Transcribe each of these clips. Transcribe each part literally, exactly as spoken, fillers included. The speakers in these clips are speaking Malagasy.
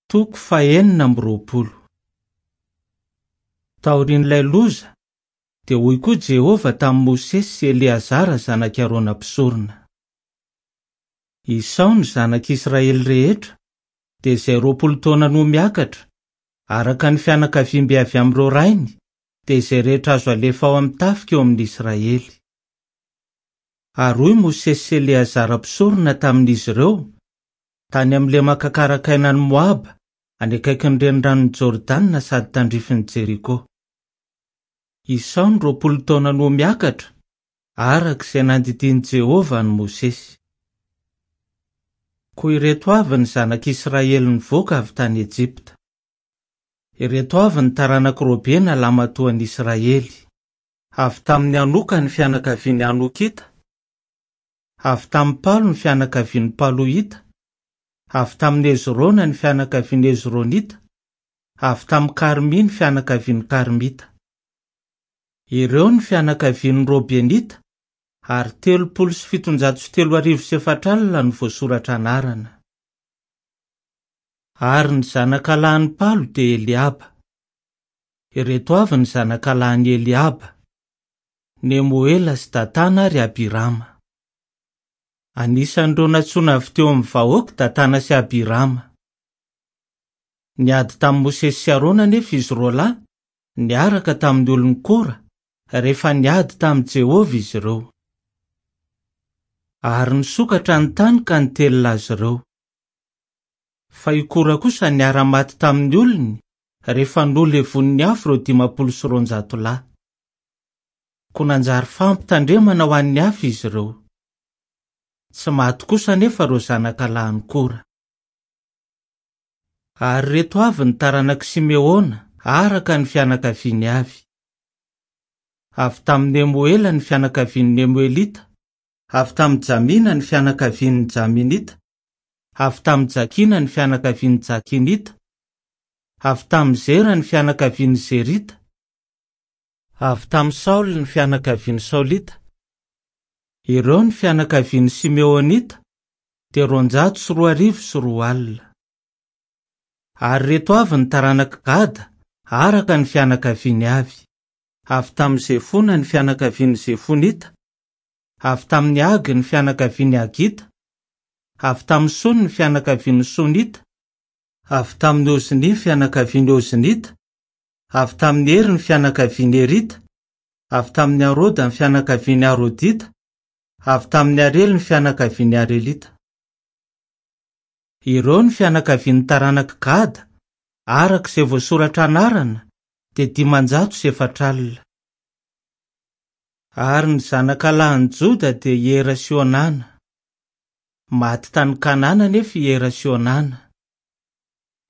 Toko fahenina amby roapolo. Taorian'ilay loza, dia hoy koa Jehovah tamin'i Mosesy sy Eleazara zanak'i Arona mpisorona: Isao ny zanak'Israely rehetra, dia izay roapolo taona no miakatra, araka ny fianakaviambe avy amin'ireo rainy, dia izay rehetra azo alefa ao amin'ny tafika eo amin'ny Israely. Ary hoy Mosesy sy Eleazara mpisorona tamin'izy ireo, tany amin'ny lemaka karakainan'i Moaba, any akaikin'ny reniranon'i Jordana sady tandrifin'i Jeriko. Isao ny roapolo taona no miakatra, araka izay nandidian'i Jehovah an'i Mosesy. Koa ireto avy ny zanak'Israely nivoaka avy tany Ejipta. Ireto avy ny taranak'i Robena lamatoan'i Israely. Avy tamin'ny Hanoka ny fianakavian'ny Hanokita, avy tamin'ny Palo ny fianakavian'ny Paloita, avy tamin'ny Hezrona ny fianakavian'ny Hezronita, avy tamin'ny Karmy ny fianakavian'ny Karmita. Ireo ny fianakavian'ny Robenita, ary telopolo sy fitonjato sy telo arivo sy efatra alina no voasoratra anarana. Ary ny zanakalahin'i Palo dia Eliaba. Ireto avy ny zanakalahin'i Eliaba: Nemoela sy Datana ary Abirama. Anisan'ireo nantsoina avy teo amin'ny vahoaka Datana sy Abirama. Niady tamin'i Mosesy sy Arona anefa izy roa lahy, niaraka tamin'ny olon'i Kora, rehefa niady tamin'i Jehovah izy ireo. Ary nisokatra ny tany ka nitelina azy ireo. Fa i Kora kosa niara-maty tamin'ny olony rehefa nolevonin'ny afo ireo dimampolo sy roanjato lahy. Koa nanjary fampitandremana ho an'ny hafa izy ireo. Tsy maty kosa anefa ireo zanakalahin'i Kora. Ary ireto avy ny taranak'i Simeona araka ny fianakaviany avy. Avy tamin'i Nemoela ny fianakavian'ny Nemoelita, avy tamin'i Jamina ny fianakavian'ny Jaminita, avy tamin'i Jakina ny fianakavian'ny Jakinita, avy tamin'i Zera ny fianakavian'ny Zerita, avy tamin'i Saoly ny fianakavian'ny Saolita. Ireo ny fianakavian'ny Simeonita, dia roanjato sy roa arivo sy roa alina. Ary ireto avy ny taranak'i Gada araka ny fianakaviany avy. Avy tamin'i Zefona ny fianakavian'ny Zefonita, avy tamin'i Hagy ny fianakavian'ny Hagita, avy tamin'i Sony ny fianakavian'ny Sonita, avy tamin'i Ozny ny fianakavian'ny Oznita, avy tamin'i Hery ny fianakavian'ny Herita, avy tamin'i Aroda ny fianakavian'ny Arodita, avy tamin'i Arely ny fianakavian'ny Arelita. Ireo ny fianakavian'ny taranak'i Gada, araka izay voasoratra anarana, dia dimanjato sy efatra alina. Ary ny zanakalahin'i Joda dia i Era sy Onana. Maty tany Kanana anefa i Era sy Onana.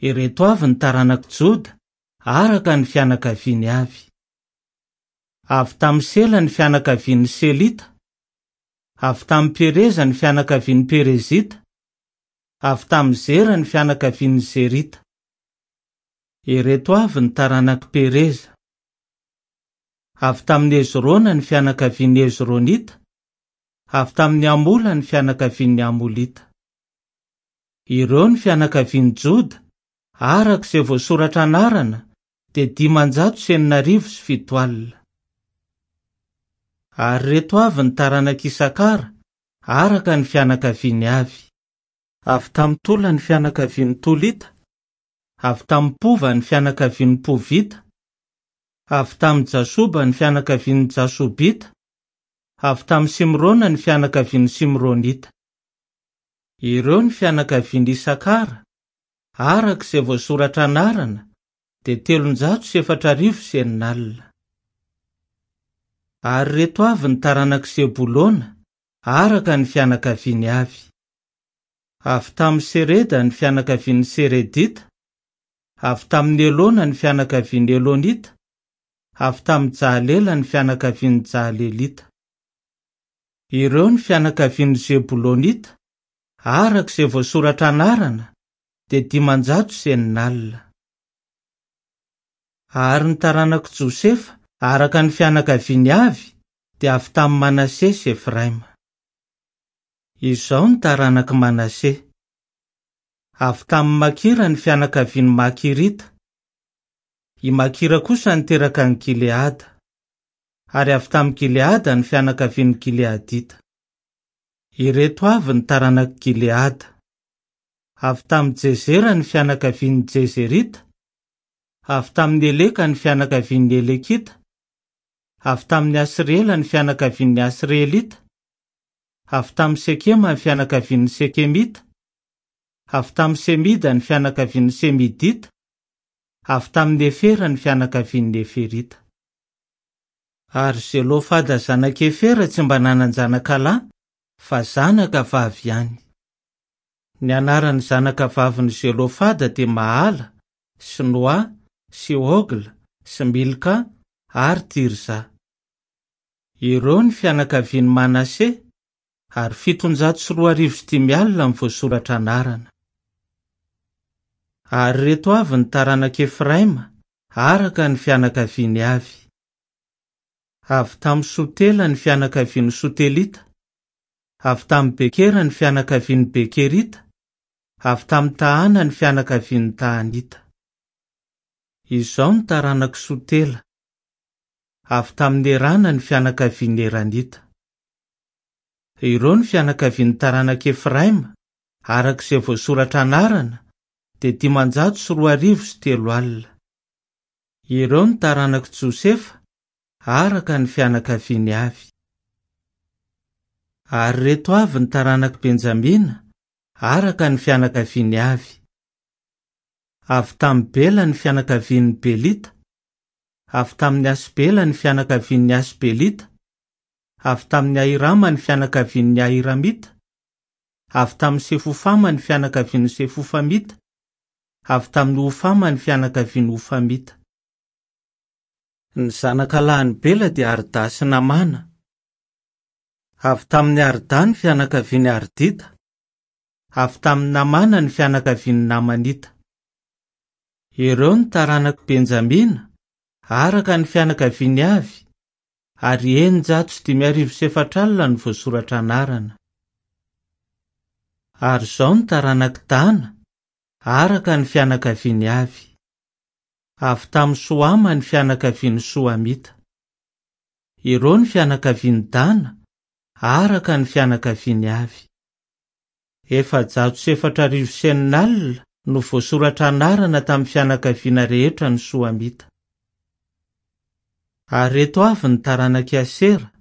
Ireto avy ny taranak'i Joda, araka ny fianakaviany avy. Avy tamin'i Sela ny fianakavian'ny Selita, avy tamin'i Pereza ny fianakavian'ny Perezita, avy tamin'i Zera ny fianakavian'ny Zerita. Ireto avy ny taranak'i Pereza. Avy tamin'i Hezrona ny fianakavian'ny Hezronita, avy tamin'i Amola ny fianakavian'ny Amolita. Ireo ny fianakavian'i Joda, araka izay voasoratra anarana, dia dimanjato sy enina arivo sy fito alina. Ary ireto avy ny taranak'i Isakara, araka ny fianakaviany avy. Avy tamin'i Tola ny fianakavian'ny Tolita, avy tamin'i Pova ny fianakavian'ny Povita, avy tamin'i Jasoba ny fianakavian'ny Jasobita, avy tamin'i Simrona ny fianakavian'ny Simronita. Ireo ny fianakavian'i Isakara, araka izay voasoratra anarana, dia telonjato sy efatra arivo sy enina alina. Ary ireto avy ny taranak'i Zebolona, araka ny fianakaviany avy. Avy tamin'i Sereda ny fianakavian'ny Seredita, avy tamin'i Elona ny fianakavian'ny Elonita, avy tamin'i Jahalela ny fianakavian'ny Jahalelita. Ireo ny fianakavian'ny Zebolonita, araka izay voasoratra anarana, dia dimanjato sy enina alina. Ary ny taranak'i Josefa, araka ny fianakaviany avy, dia avy tamin'i Manase sy Efraima. Izao ny taranak'i Manase. Avy tamin'i Makira ny fianakavian'ny Makirita. I Makira kosa niteraka an'i Gileada. Ary avy tamin'i Gileada ny fianakavian'ny Gileadita. Ireto avy ny taranak'i Gileada. Avy tamin'i Jezera ny fianakavian'ny Jezerita. Avy tamin'i Eleka ny fianakavian'ny Elekita. Avy tamin'i Asriela ny fianakavian'ny Asrielita. Avy tamin'i Sekema ny fianakavian'ny Sekemita. Avy tamin'i Semida ny fianakavian'ny Semidita. Avy tamin'i Efera ny fianakavian'ny Eferita. Ary Zelofada zanak'i Efera tsy mba nanan-janaka lahy, fa zanaka vavy ihany. Ny anaran'ny zanaka vavin'i Zelofada dia Mahala, sy Noa, sy Hogla, sy Milka ary Tirza. Ireo ny fianakavian'i Manase, ary fitonjato sy roa arivo sy dimy alina ny voasoratra anarana. Ary ireto avy ny taranak'i Efraima, araka ny fianakaviany avy. Avy tamin'i Sotela ny fianakavian'ny Sotelita. Avy tamin'i Bekera ny fianakavian'ny Bekerita. Avy tamin'i Tahana ny fianakavian'ny Tahanita. Izao ny taranak'i Sotela. Avy tamin'i Erana ny fianakavian'ny Eranita. Ireo ny fianakavian'ny taranak'i Efraima, araka izay voasoratra anarana, dia dimanjato sy roa arivo sy telo alina. Ireo ny taranak'i Josefa, araka ny fianakaviany avy. Ary ireto avy ny taranak'i Benjamina, araka ny fianakaviany avy. Avy tamin'i Bela ny fianakavian'ny Belita. Avy tamin'i Asbela ny fianakavian'ny Asbelita. Avy tamin'i Ahirama ny fianakavian'ny Ahiramita. Avy tamin'i Sefofama ny fianakavian'ny Sefofamita. Avy tamin'i Hofama ny fianakavian'ny Hofamita. Ny zanaka lahin'i Bela dia Arda sy Namana. Avy tamin'i Arda ny fianakavian'ny Ardita. Avy tamin'i Namana ny fianakavian'ny Namanita. Ireo ny taranak'i Benjamina, araka ny fianakaviany avy, ary eninjato sy dimy arivo sy efatra alina ny voasoratra anarana. Ary izao ny taranak'i Dana, araka ny fianakaviany avy. Avy tamin'i Soama ny fianakavian'ny Soamita. Ireo ny fianakavian'i Dana, araka ny fianakaviany avy. Efajato sy efatra arivo sy enina alina no voasoratra anarana tamin'ny fianakaviana rehetra ny Soamita. Ary ireto avy ny taranak'i Asera,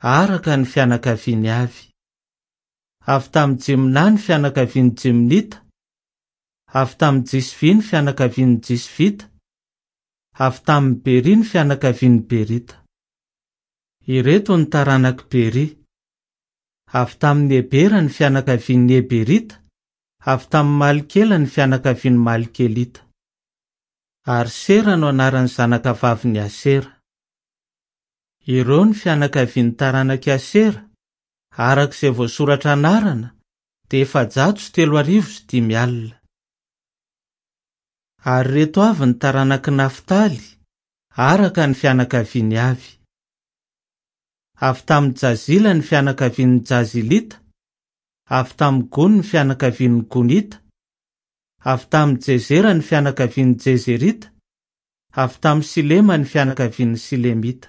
araka ny fianakaviany avy. Avy tamin'i Jimna ny fianakavian'ny Jimnita. Avy tamin'i Jisvy ny fianakavian'ny Jisvita. Avy tamin'i Beri ny fianakavian'ny Berita. Ireto ny taranak'i Beri. Avy tamin'i Ebera ny fianakavian'ny Eberita. Avy tamin'i Malkela ny fianakavian'ny Malkelita. Ary Sera no anaran'ny zanaka vavin'i Asera. Ireo ny fianakavian'ny taranak'i Asera, araka izay voasoratra anarana, dia efajato sy telo arivo sy dimy alina. Ary ireto avy ny taranak'i Naftaly, araka ny fianakaviany avy. Avy tamin'i Jazila ny fianakavian'ny Jazilita. Avy tamin'i Gony ny fianakavian'ny Gonita. Avy tamin'i Jezera ny fianakavian'ny Jezerita. Avy tamin'i Silema ny fianakavian'ny Silemita.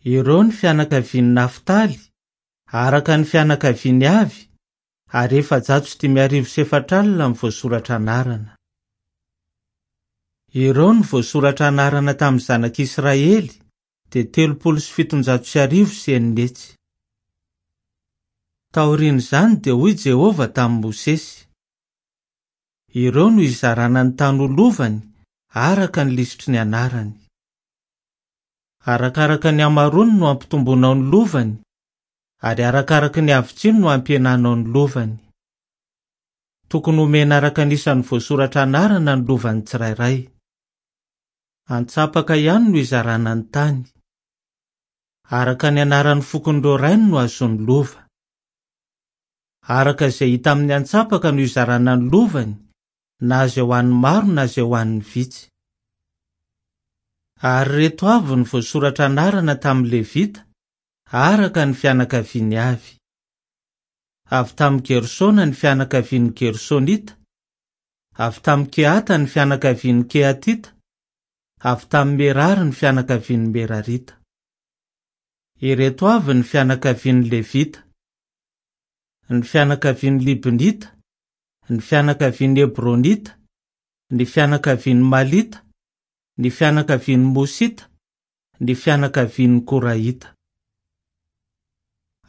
Ireo ny fianakavian'i Naftaly, araka ny fianakaviany avy, ary efajato sy dimy arivo sy efatra alina ny voasoratra anarana. Ireo ny voasoratra anarana tamin'ny zanak'Israely, dia telopolo sy fitonjato sy arivo sy enina hetsy. Taorian'izany dia hoy Jehovah tamin'i Mosesy: Ireo no hizarana ny tany ho lovany, araka ny lisitry ny anarany. Arakaraka ny hamaroany no hampitomboanao ny lovany, ary arakaraka ny havitsiany no hampihenanao ny lovany. Tokony homena araka ny isan'ny voasoratra anarana ny lovany tsirairay. Antsapaka ihany no hizarana ny tany. Araka ny anaran'ny fokon'ireo rainy no azony lova. Araka izay hita amin'ny antsapaka no hizarana ny lovany, na izay ho an'ny maro na izay ho an'ny vitsy. Ary ireto avy ny voasoratra anarana tamin'ny Levita, araka ny fianakaviany avy. Avy tamin'i Gersona ny fianakavian'ny Gersonita. Avy tamin'i Kehata ny fianakavian'ny Kehatita. Avy tamin'i Merary ny fianakavian'ny Merarita. Ireto avy ny fianakavian'ny Levita: ny fianakavian'ny Libnita, ny fianakavian'ny Hebronita, ny fianakavian'ny Malita, ny fianakavian'ny Mosita, ny fianakavian'ny Koraita.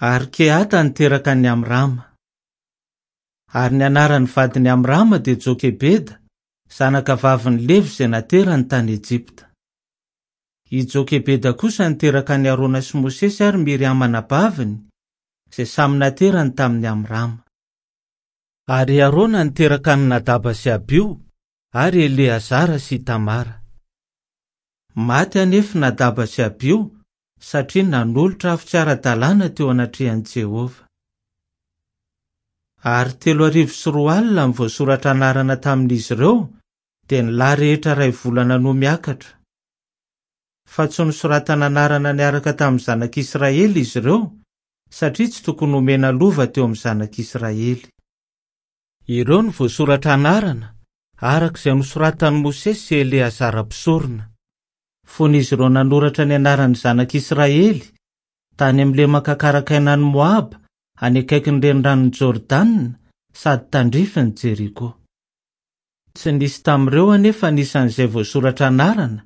Ary Kehata niteraka an'i Amrama. Ary ny anaran'ny vadin'i Amrama dia Jokebeda, zanaka vavin'i Levy izay naterany tany Ejipta. I Jokebeda kosa niteraka an'i Arona sy Mosesy ary Miriama anabaviny, izay samy naterany tamin'i Amrama. Ary Arona niteraka an'i Nadaba sy Abio ary Eleazara sy Tamara. Maty anefa Nadaba sy Abio satria nanolotra afo tsy ara-dalàna teo anatrehan'i Jehovah. Ary telo arivo sy roa alina ny voasoratra anarana tamin'izy ireo, dia ny lahy rehetra iray volana no miakatra. Fa tsy nosoratana anarana niaraka tamin'ny zanak'Israely izy ireo, satria tsy tokony homena lova teo amin'ny zanak'Israely. Ireo no voasoratra anarana, araka izay nosoratan'i Mosesy sy Eleazara mpisorona. Fony izy ireo nanoratra ny anaran'ny zanak'Israely, tany amin'ny lemaka karakainan'i Moaba, any akaikin'ny reniranon'i Jordana, sady tandrifin'i Jeriko. Tsy nisy tamin'ireo anefa anisan'izay voasoratra anarana,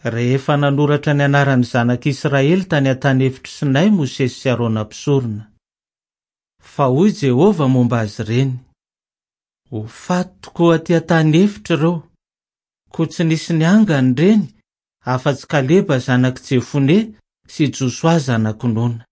rehefa nanoratra ny anaran'ny zanak'Israely tany an-tany efitr'i Sinay Mosesy sy Arona mpisorona. Fa hoy Jehovah momba azy ireny: Ho faty tokoa aty an-tany efitra ireo, koa tsy nisy niangana ireny afa-tsy Kaleba zanak'i Jefone sy Josoa zanak'i Nona.